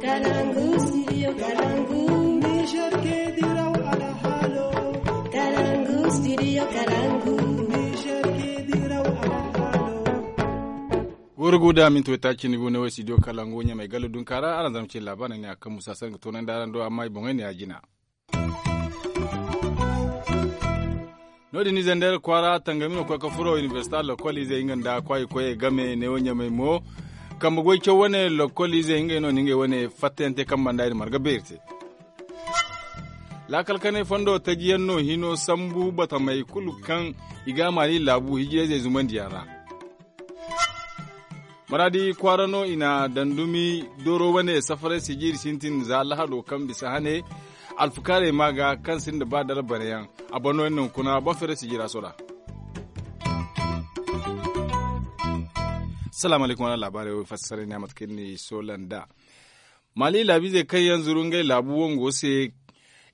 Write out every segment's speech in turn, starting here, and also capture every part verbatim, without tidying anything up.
Kalangu, studio Kalangu. Niger ke diraw alhalo. Kalangu, studio Kalangu. Niger ke diraw alhalo. Goro guda minti waytaaci ni go ne wo studio Kalangu ɲamay galo dunkaara araŋ zama ce labaarey ne a kaŋ musa sanga toonandi araŋ do amma i boŋey ne a jina. No- din ize nda iri kwaara tangami no koy ga furo inibersita lokol izey nga nda kwaayi koyey game neewo ɲamey mo. Kambe goy caw wane lokol izey ngey no na ngey wane fattayaŋ te kaŋ banda iri marga beeri te. Laakal kanay fondo taji yaŋ no hino sambu batamey kulu kaŋ i ga a maali laabu hijirayzey zumandiyaŋ ra. Maraadi kwaara no i na dandumi dooro wane safaray sijiiri sintin za lahado kaŋ bisa hane. Alfukaarey ma ga kaŋ sinda ba dara banayaŋ. A bano yaŋ no hunkuna boro feeray sijiira soda. Salaamu alaykum wala laabaarey wo i fassara ne a mate kaŋ iri na i soola nd'a. Maali laabiizey kaŋ yaŋ zuru ngey laabu wango se.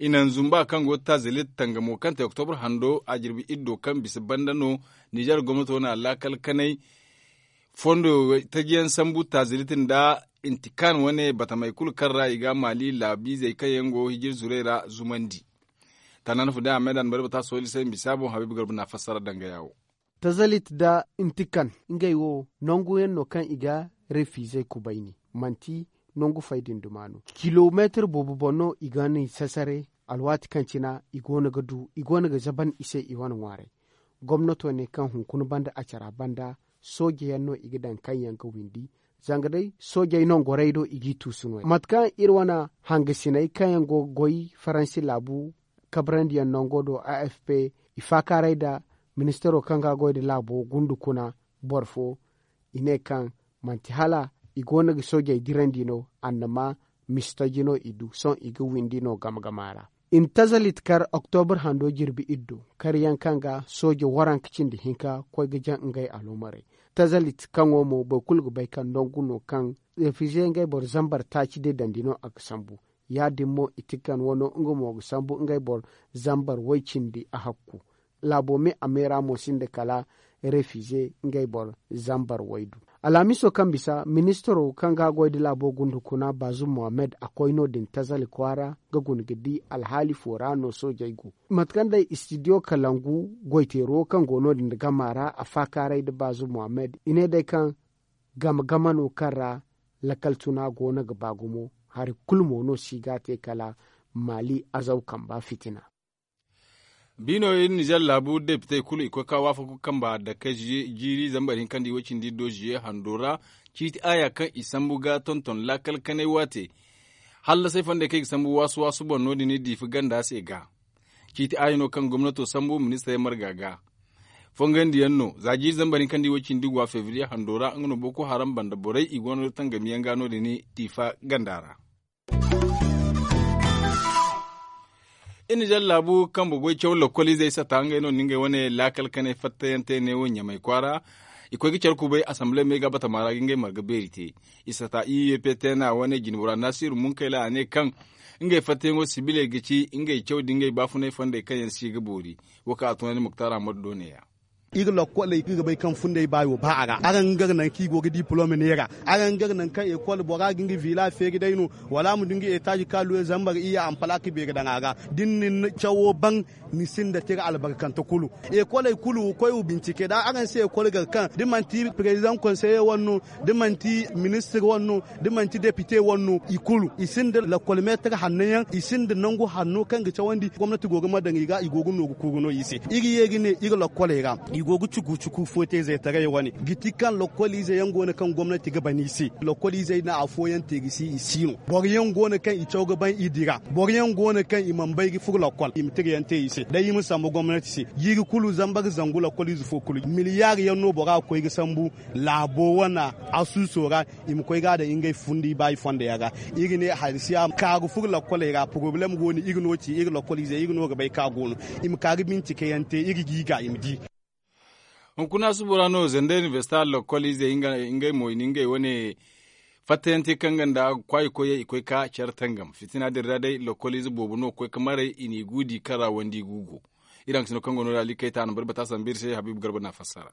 I naŋ zumba kaŋ go tazilit tangamo kaŋ te oktobar hando a jirbi iddo kaŋ bisa banda no. Nizer gomnato na laakal kanay fondo tajiyaŋ sambu tazilit nda intikan wane batamey kulu kaŋ ra i ga maali laabiizey kaŋ yaŋ go hijir zurey ra zumandi. Tanaana fu day a me da ni bari bata sooli se misa boŋ habiibu garba na fassara dangaya wo. Tazalit nda intikan ngey wo nangu yaŋ no kaŋ i ga refiizey kubayni manti nangu fay din duma no. Kilomeetir boobo boŋ no i ga ni sasare. Alwaati kaŋ cina i go no ga du i go no ga zaban i se i wane ŋwaaray. Gomnato ne kaŋ hunkuna banda a cara banda sooje yaŋ no i ga daŋ kaŋ yaŋ ga windi. Zanga day soojey nangorey do i g'i tuusu no- ya mate kaŋ iri wane hangasiney kaŋ yaŋ go ga goy faransi laabu kabarandiyaŋ nango do a f p i faakaaray nda ministaro kaŋ ga a goy nda laabo gundu kuna boro fo. I ne kaŋ manti hala i go no ga soojey dirandi no annama mistaji no i du sohõ i ga windi no game game a ra. I na tazalit kar oktobar hando jirbi iddo karyaŋ kaŋ ga sooje waranka cindi hinka koy ga jaŋ ngey aloomarey. Tazalit kaŋo mo boro kulu ga bay kaŋ nangu no kaŋ refize ngey boro zambar taaci day dandi no a ga sambu. Ya- din mo i tikan wano nga mo ga sambu ngey boro zambar way cindi a hakku. Laabo me a meera mo sinda kala refize ngey boro zambar waydu. Alhamiso kaŋ bisa ministaro kaŋ ga a goy nda laabo gunda kuna baazum mohammed a koy no- din tazali kwaara ga guna ga di alhaali fo ra no soojey go. Mate kaŋ day istidiyo kalangu goyteero kaŋ go no- din nda gama ra a faakaaray nda baazum mohammed i ne day kaŋ game game no kaŋ ra lakal tuna go no ga ba gumo. Hari kulu mo no si ga a te kala maali azaw kamba fitina. Biino iri nizer laabu depitey kulu i koy ka waafaku kamba dake jiiri zambar hinka nda i way cindi do ziye hando ra. Ciiti aaya kaŋ i sambu ga tonton laakal kanay waate hallasay fondey kaŋ i ga sambu waasu waasu boŋ no- din i diifa ganda se ga. Ciiti aaya no kaŋ gomnato sambu ministarey marga ga. Fongandiyaŋ no za jiiri zambar hinka nda i way cindi gwa febriye hando ra nga no boko haram banda borey i go no tangamiyaŋ ga no- din i diifa ganda ra. Iri nizer laabu kambe goy caw lokol izey sata ngey no na ngey wane laakal kanay fattayaŋ te neewo ɲamay kwaara. I koy ga care kubay asamble me ga batama ra ga ngey marga beeri te. I sata i u p t n a wane jinbora nasiru munkayla a ne kaŋ ngey fattayaŋo sibiley ga ci ngey caw da ngey baafunay fondey kaŋ yaŋ si ga boori. Wo kaŋ a tunandi muktar ahmadu do neeya. Iri lokkoley iri ga bay kaŋ fundey baayo ba a ra araŋ ga gar nangu kaŋ i go ga diplome neera. Araŋ ga gar nangu kaŋ ekol bora ga nga vila feeri day no wala a ma du nga etaazi ka luwe zambar iyya ampalak beeri daŋ a ra. Da ni na ni cawo baŋ ni sinda tira albarkante kulu. Ekoley kulu wa koy wa bincike da araŋ si ekol gar kaŋ da manti perezidaŋ konseye wane no da manti ministir wane no da manti depite wane no i kulu i sinda lakkol meetar hanno yaŋ i sinda nangu hanno kaŋ ga cawandi gomnati go ga ma daŋ i ga i go ga nooru kuuru no i se. Iri ye ga ne iri lakkoley ra i go ga cuku cuku foote zeetaray wane ga ti kaŋ lakkol ize yaŋ go no kaŋ gomnati ga ban i se. Lakkol izey na afooyaŋ te ga si i si no boro yaŋ go no kaŋ i caw ga ban i dira boro yaŋ go no kaŋ i mana bay ga furo lakkol i ma tira yaŋ te i se day i ma sambu gomnati se. Jiiri kulu zambar zangu lakkol ize fo kulu miliyar yaŋ no bora ga koy ga sambu laabo wane asuuso ra. I ma koy ga a daŋ ngey fundi baayi fondo yaŋ ra. Iri ne hari si a ma ka ga furo lakkoley ra porobalem go no iri no ci iri lakkol ize iri no ga bay kaŋ a go no. I ma ka ga bincike yaŋ te iri ga i ga i ma di. Hunkuna subo ra no zandey inibersita lakkol ize ngey mo i na ngey wane fattayaŋ te kaŋ ga nda kwaayi koyey i koy ka care tangam fitina din ra day lakkol ize boobo no ga koy ga maray i n'i guudi kaŋ ra wandi guugo. Iri hangasino kaŋ go no da ali kayta a na bari bata sambu iri se habiibu garba na fassara.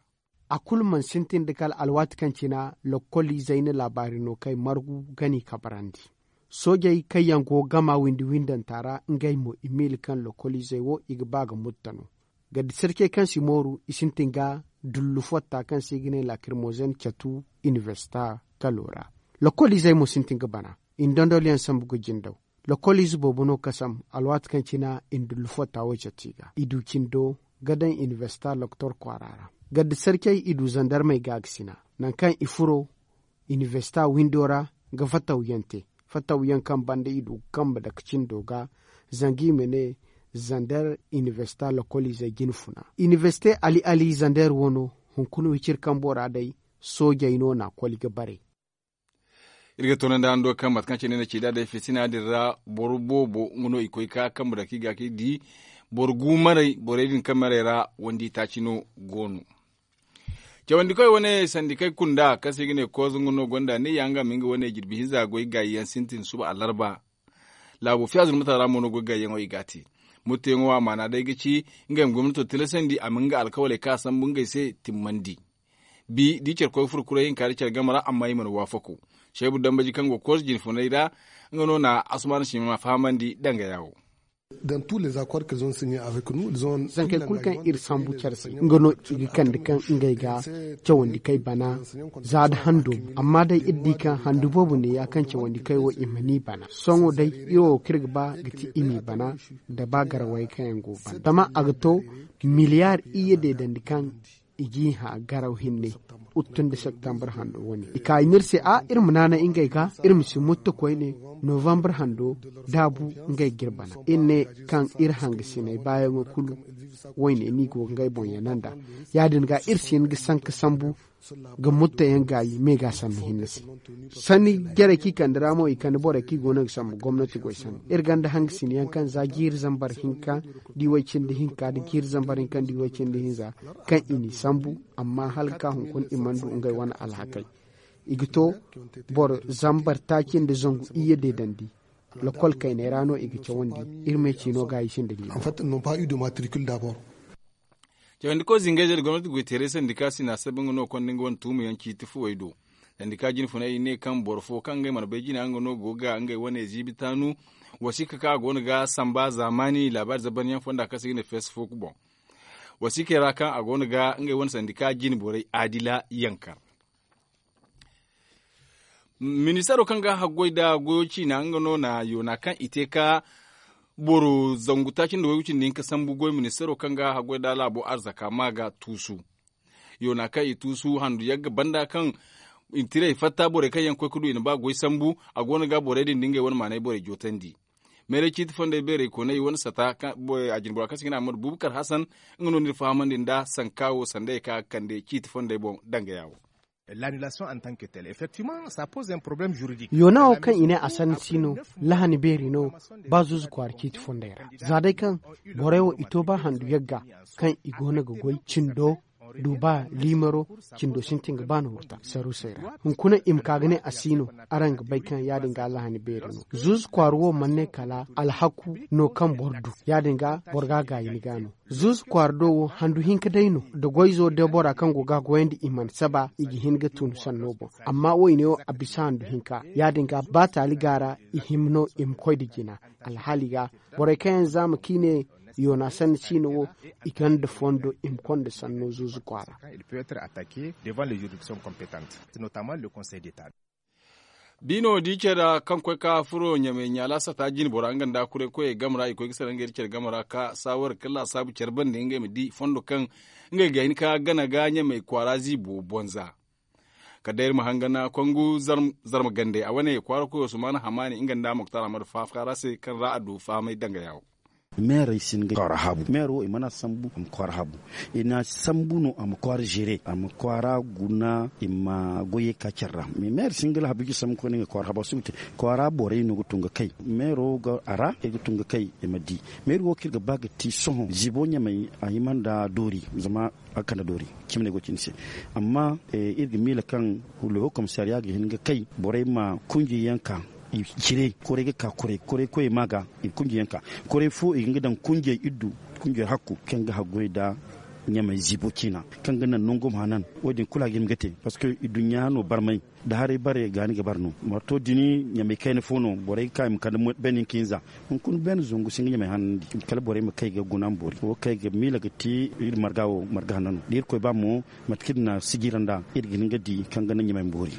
A kulu mana sintin da kala alwaati kaŋ cina lakkol izey na laabaari no kay margu ga n'i kabarandi. Soojey kaŋ yaŋ go gama windi windanta ra ngey mo i miila kaŋ lokoliizey wo i ga ba ga mutta no. Gaddi sarcey kaŋ si mooru i sintin ga dullu fotta kaŋ se i ga ne lakirmozen catu inibersita kalo ra. Lokoliizey mo sintin ga bana. I na dondolyaŋ sambu ga jindaw. Lokoliize boobo no kasam alwaati kaŋ cina i na dullu fotta wo catu i ga i du cindo ga daŋ inibersita loktor kwaara ra. Gaddi sarcey i du zandarmey ga ga sina nangu kaŋ i furo inibersita windo ra ga fatawyaŋ te. Fatawyaŋ kaŋ banda i du ga kambe dake cindo ga zanga i ma ne zander inibersita lokoliizey jine funa. Inibersite ali ali zander wo no hunkuna wiciri kambo ra day soojey no na a koli ga bare. Iri ga toonandi hando kaŋ mate kaŋ cine ne ci da day fitina din ra boro boobo nga no i koy ka kambe dake i ga ka i di boro gu maray borey din kaŋ maray ra wandi taaci no go no. Cawandikoy wane sandikey kunda kaŋ se i ga ne kooza nga no gonda ne ya nga ma nga wane jirbi hinza goy gaayi yaŋ sintin suba alarba. Laabo fiya zurmata ra mo no goy gaayi yaŋo i ga a te. Mutteyaŋo a maana day ga ci ngey ma gomnato tilasandi a ma nga alkawaley kaŋ a sambu ngey se timmandi. Bi da i care koy furo kuray hinka da care game ra amma i mana waafako. Seebu dambaji kaŋ go kooza jinfunay ra nga no na asumaana sima fahamandi danga yaawo. Zankey kulu kaŋ iri sambu care se nga no i ga kande kaŋ ngey ga cawandi kay bana za da hando. Amma day iri di kaŋ handu boobo ne ya kaŋ cawandi kay wo i ma ni bana sohõ day iri wo kaŋ iri ga ba ga ti i m'i bana da ba garawey kaŋ yaŋ go bana zama a ga to miliyar iyye deedandi kaŋ i g'i hã garaw hinne uttun da septembre hando wane i kaayi no iri se a iri ma naanay ngey ga iri ma si mutta koyne novembre hando daabu ngey ga iri bana iri ne kaŋ iri hangasiney baayaŋo kulu wayne no i go ga ngey boŋ yana nd'a ya- din ga iri si hin ga sanka sambu ga mutta yaŋ gaayi me ga sanni hinne se sanni jarey kaŋ i kande ra mo i kande borey kaŋ i go no ga sambu gomnati goy sanni iri gonda hangasina yaŋ kaŋ za jiiri zambar hinka da i way cindi hinka da jiiri zambar hinka da i way cindi hinza kaŋ i n'i sambu amma hala ga ka hunkuna i mana du ngey wane alhakey i ga to boro zambar taaci nda zangu iyye deedandi lokol kayney ra no i ga cawandi iri ma ay ciino ga i sinda liiba. Cawandi koy zingayzey nda gomnati goy teeray sandika sina sabi nga no konda nga wane tuumu yaŋ ciiti fuwey do. Sandika jine funay i ne kaŋ boro fo kaŋ ngey mana bay jina nga no go ga ngey wane ziibi taanu wasiika kaŋ a go no ga samba zaamaani laabaari zabanyaŋ fonda kaŋ se i ga ne feesi fo boŋ. Wasiikey ra kaŋ a go no ga ngey wane sandika jine borey adila yankar. Ministaro kaŋ ga haggoy nda goyo ciina nga no na yoona kaŋ i te ka boro zangu taaci nda waygu cindi hinka sambu goy ministaro kaŋ ga haggoy nda laabo arzaka ma ga tuusu. Yoona kaŋ i tuusu handu yagga banda kaŋ i na tirey fatta borey kaŋ yaŋ koy ga du i na ba goy sambu. A go no ga borey din da ngey wane maanay borey jootandi. Meeray ciiti fondey beerey koonay wane sata a jinbora kaŋ se ga ne ahmadu bubakar hasan nga no ni fahamandi nda sanka wo sandey kaŋ a ga kande ciiti fondey boŋ dangaya wo. L'annulation en tant que telle effectivement ça pose un problème juridique. Yoona wo kaŋ i ne a sanni si no lahani beeri no ba zuuzu kwaara ciiti fondey ra za day kaŋ borey wo i to ba handu yagga kaŋ i go no ga goy cindo du ba liimaro cindo sintin ga ba no hurta sarusey ra hunkuna i ma ka ga ne a si no. Araŋ ga bay kaŋ ya- din ga lahani beeri no zuuzu kwaara wo mana ne kala alhaku no kaŋ boro du ya- din ga boro ga a gaayi ni ga no. Zuuzu kwaara do wo handu hinka day no da goyzo debora kaŋ go ga a goyandi i mana saba i ga hin ga tun sanno boŋ. Amma wo i ne wo a bisa handu hinka ya- din ga ba taali ga ra i hima no i ma koy nda jina alhaali ga borey kaŋ yaŋ zaama kaŋ i ne yoona sanni siino wo i gonda fondo i ma konda sanno zuuzu kwaara. Biino da i care ra kaŋ koy ka furo ɲamey ɲaala sata jine bora nga nda kuray koyey game ra i koy ga sara ngey da care game ra ka saawar ga kala laasaabu care bande ngey ma di fondo kaŋ ngey ga hin ka gana ga ɲamey kwaara ziibo bonza. Kala day iri ma hangan kongu zarma gande a wane kwaara koyo sumaana hamaani nga nda moktar ahmadu faafaara se kaŋ ra a du fahamay danga yaawo. Meerey si hin ga kwaara habu meero wo i mana sambu a ma kwaara habu. I na sambu no a ma kwaara zere a ma kwaara guna i ma goyey ka care ra mais meerey si hin ga lahabu i ga sambu koyne nga kwaara habu a si ga te. Kwaara borey no ga tun ga kay meero ga a ra i ga tun ga kay i ma di. Meeri wo kaŋ iri ga ba ga ti sohõ ziibo ɲamey a hima nda doori zama a ga kande doori. Cimi no ay go ga ci ni se. Amma iri ga miila kaŋ le haut commissariat ga hin ga kay borey ma kunjey yaŋ ka i cire koray ga ka koray koray koyey ma ga i kunjey yaŋ ka koray fo i ga nga daŋ kunjey iddu kunjey hakku kaŋ ga haggoy nda Ɲamey ziibo ciina kaŋ ga naŋ nangu ma hanan. Wo- din kulu a ga hima ga te parceque i duɲɲa no barmay da haray bare ga ni ga bare no. Marto din ɲamey kayna fo no borey ga ka i ma kande bene hinka hinza. Hunkuna bene zangu si nga ɲamey hanandi kala borey ma kay ga guna ma boori wo kay ga miila ga te. Iri marga wo marga hanna no da irkoy ba mo mate kaŋ iri na sijira nd'a iri ga hin ga di kaŋ ga naŋ ɲamey ma boori.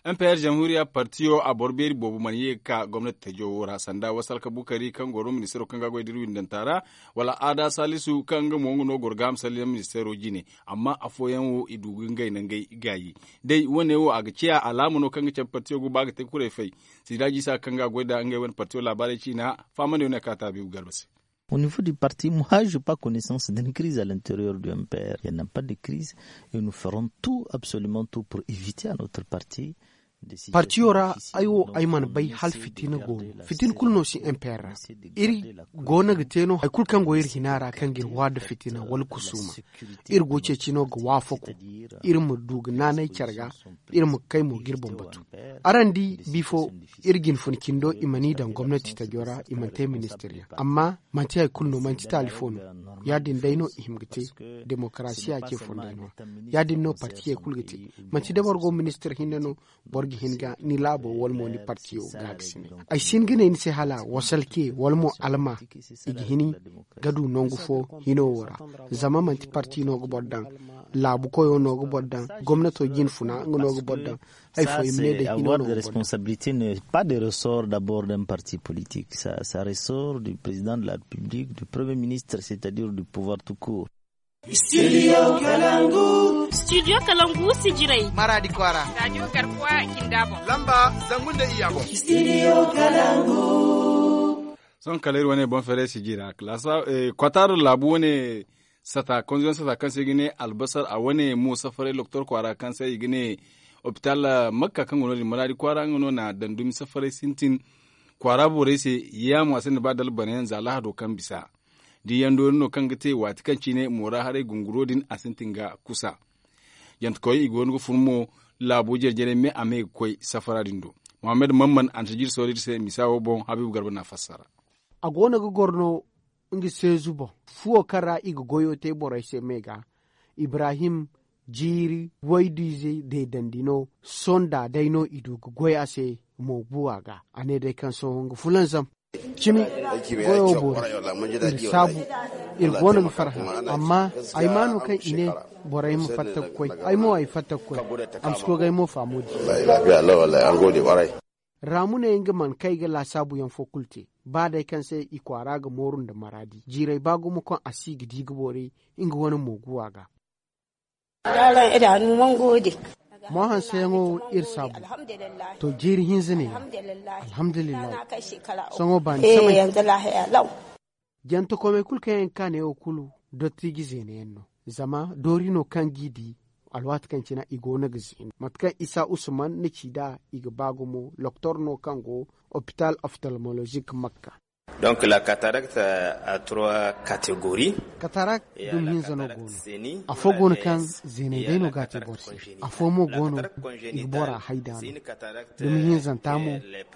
M P R jamhuriya partiyo a boro beeri boobo mana ye ga ka gomnati tajo wo ra sanda wasalka bukari kaŋ goro ministiro kaŋ ga goy da iri windanta ra wala aada salisu kaŋ nga mo nga no goro ga a ma salli yaŋ ministiro jine. Amma afooyaŋ wo i du ga ngey nangey gaayi day wo- ne wo a ga ciya alaama no kaŋ ga cabe partiyo go ba ga te kuray fay. Sida jisa kaŋ ga a goy nda ngey wane partiyo laabaarey ciina. Fahamandi wane a kaata biibu garba se. Au niveau du parti moi je pas connaissance d'une crise à l'interieur du M P R. Il n'y a pas de crise. Et nous ferons tout absolument tout pour éviter à notre parti. Partiyo ra ay wo ay mana bay hala fitina go no fitina kulu no si M P R ra. Iri go no ga te no hari kulu kaŋ go iri hina ra kaŋ ga iri waada fitina wala kusuuma. Iri go ceeci no ga waafako iri ma du ga naanay care ga. Iri ma kay mo ga iri boŋ batu. Araŋ di bifo iri ga hin fun cindo i mana i daŋ gomnati tajo ra i mana te ministir yaŋ amma manti hari kulu no manti taali fo no. Ya- din day no i hima ga te demokarasiya ce fondey no. Ya- din no partiyey kulu ga te. Manti da boro go ministir hinne no boro ga hin ga ni laabo wala mo ni partiyo ga ga sine. Ay si hin ga ne ni se hala wasalke wala mo alma i ga hin ga du nangu fo hino wo ra. Zama manti parti no ga boro daŋ laabu koyo no ga boro daŋ gomnato jine funa nga no ga boro daŋ. Hay fo i ma ne day hino no ga boro daŋ. Responsabilité ne pas de ressort d'abord d'un parti politique. Ça ressort du président de la république du premier ministre c'est à dire du pouvoir tout court. Studio kalangu. Studio kalangu sijirey. Maradi kwara. Radio garkuwa kinda boŋ. Lamba zangu nda iyya boŋ. Studio kalangu. Sohõ kala iri wane boŋ feeray sijira kwataaro laabu wane sata konzoyaŋ sata kaŋ se i ga ne albasar a wane mo safaray loktor kwaara kaŋ se i ga ne opital makka kaŋ go no- din maradi kwaara nga no na daŋ dumi safaray sintin. Kwaara borey se yaamo a sinda ba dalbanayaŋ za lahado kaŋ bisa. Da yaŋ doori no kaŋ ga te waati kaŋ cine moora haray gunguro din a sintin ga kusa. Jantekoy i go no ga fun mo laabo jare jare me a me ga koy safara din do. Muhammad mamman a na si jiri sohõ iri se misa wo boŋ habiibu garba na a fassara. A go no ga goro no nga seezu boŋ fuwo kaŋ ra i ga goyo te borey se me ga. Ibrahim jiiri waydu ize deedandi no. Sonda day no i du ga goy a se mo buwa ga a ne day kaŋ sohõ nga fulanzam. Cimi goyo boori iri saabu iri go no ga farhã. Amma ay ma no kaŋ i ne borey ma fatta ga koy ay mo ay fatta ga koy. A ma si koy ga ay mo faamo di. Raamu ne nga mana kay ga laasaabu yaŋ fo kulu te. Ba day kaŋ se i kwaara ga mooru nda maraadi jiirey ba gumo kaŋ a si ga di ga boori nga wane mooguwa ga. Mo hanseyaŋo wo iri saabu. To jiiri hinza ne ya. Alhamdulillahi. Sohõ baani samay. Jantakomey kulu kaŋ yaŋ ga ka neewo kulu dottiiji zeena yaŋ no. Zama doori no kaŋ g'i di alwaati kaŋ cine i go no ga zeenu mate kaŋ isa usman na ci nd'a. I ga ba gumo loktor no kaŋ go opital oftalmolozik makka. Donc la cataracte a trois catégories. Katarak dumi hinza no go no. Afo go no kaŋ zeeney day no ga a te boro se. Afo mo go no i ga bora hayda no. Dumi hinzanta mo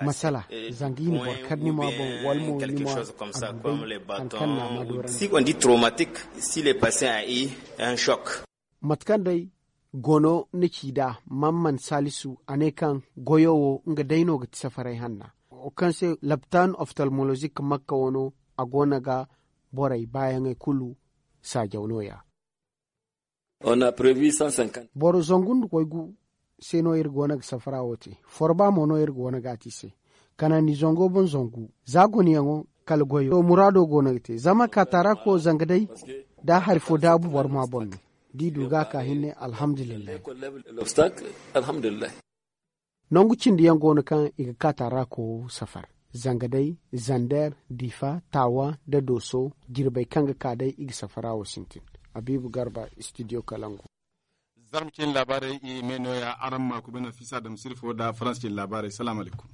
masala zanga i na boro kar ni ma boŋ wala mo ni ma a du day hari kaŋ na a ma doorandi. Si on dit traumatique si le patient a eu un choc. Mate kaŋ day gono ni ci nd'a mamman salisu a ne kaŋ goyo wo nga day no ga ti safaray hanna. Wo kaŋ se laptan oftalmolozik makka wano a go no ga borey baayaŋey kulu saajaw no- ya. Boro zangu nda koy gu se no iri go no ga safara wo te. Forba mo no iri go no ga a te i se. Kanandi zango boŋ zangu za gonayaŋo kala goyo to muraado go no ga te zama katarak wo zanga day da hari fo daabu boro ma boŋ no. Da i du ga a ka hinne alhamdulillahi. Nangu cindi yaŋ go no kaŋ i ga ka taarako safar. Zanga day zander difa taawa nda dooso jirbey kaŋ ga ka day i ga safara wo sintin. Habiibu garba studio kalangu. Zarma cine laabaarey i me nooya araŋ ma kuba nafisa dam sirfo nda faransa cine laabaarey salaamu alaykum.